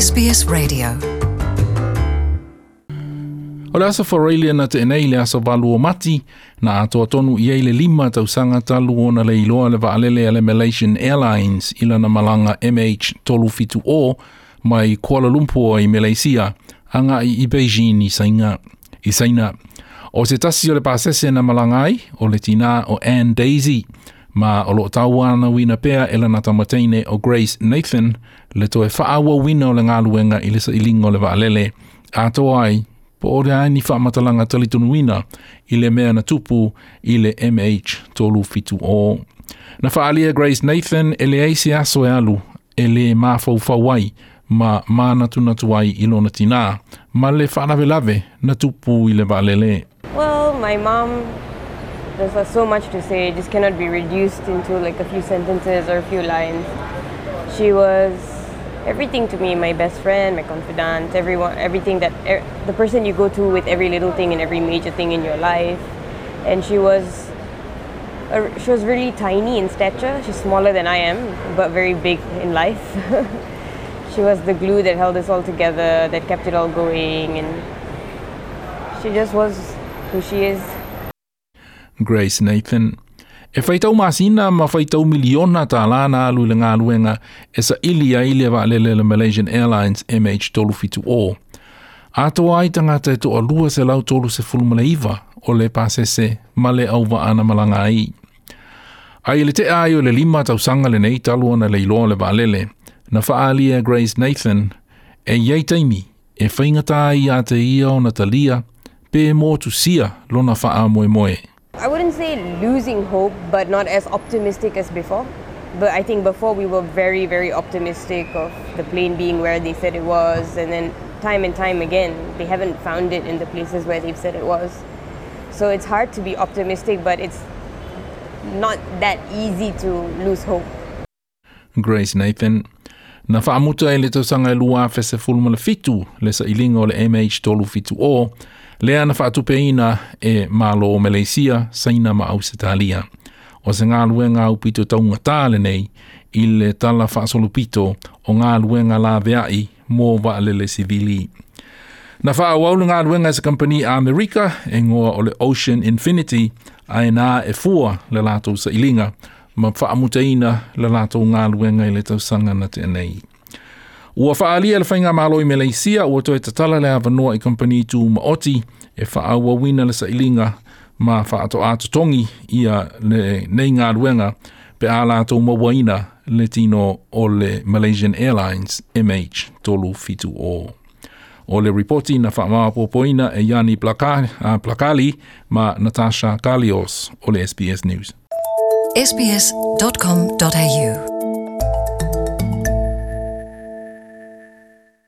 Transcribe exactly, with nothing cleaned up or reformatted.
S B S Radio. O le aso Faraile na tea nei le aso valu o Mati, na atoa tonu i ai le lima tausaga talu ona le iloa le vaalele a le Malaysian Airlines i lana malaga M H three seven zero mai Kuala Lumpur i Malaysia, agai i Beijing i Saina. I Saina. O se tasi o le pasese na malaga ai, o le tinā o Anne Daisy, ma o lo o tauanauina pea e lana tamateine o Grace Nathan, le toe faaauauina o le galuega i le sailiga o le vaalele, atoa ai po o le a ni faamatalaga talitonuina i le mea na tupu i le M H three seven zero. Na faaalia Grace Nathan e leai se aso e alu e le mafaufau ai ma manatunatu ai i lona tinā, ma le faalavelave na tupu i le vaalele. Well, my mom, there's uh, so much to say. It just cannot be reduced into like a few sentences or a few lines. She was everything to me, my best friend, my confidant, everyone, everything that, er, the person you go to with every little thing and every major thing in your life. And she was, a, she was really tiny in stature. She's smaller than I am, but very big in life. She was the glue that held us all together, that kept it all going, and she just was who she is. Grace Nathan. E faitau masina ma faitau miliona tālā na alu i le galuega e saili ai le vaalele le Malaysian Airlines M H three seven zero. Atoa ai tagata e toalua selau tolu sefulu ma le iva o le pasese ma le auvaa na malaga ai. Ai i le tea ai o le lima tausaga lenei talu ona le iloa le vaalele, na faaalia Grace Nathan e i ai taimi e faigata ai ia te ia ona talia pe motusia lona faamoemoe. I wouldn't say losing hope, but not as optimistic as before. But I think before we were very, very optimistic of the plane being where they said it was, and then time and time again, they haven't found it in the places where they've said it was. So it's hard to be optimistic, but it's not that easy to lose hope. Grace Nathan. Na faamuta i le tausaga e lua afe sefulu ma le fitu le sailiga o le M H three seven zero lea na faatupeina e Malo o Malaysia, Saina ma Ausetalia. O se galuega aupito taugatā lenei i le tala faasolopito o galuega laveai mo vaalele sivili. Na faaauau le galuega e se kampani Amerika e igoa o le Ocean Infinity ae na e fua le latou sailiga ma faamutaina le latou galuega i le tausaga na tea nei. Ua faaalia le faigamalo i Malaysia ua toe tatala le avanoa i kampani tumaoti e faaauauina le sailiga ma faatoa totogi ia lenei galuega pe a latou mauaina le tino o le Malaysian Airlines M H three seven zero. O le ripoti na faamaopoopoina e Yanni Plakali ma Natasha Kalios o le S B S News. S B S dot com dot A U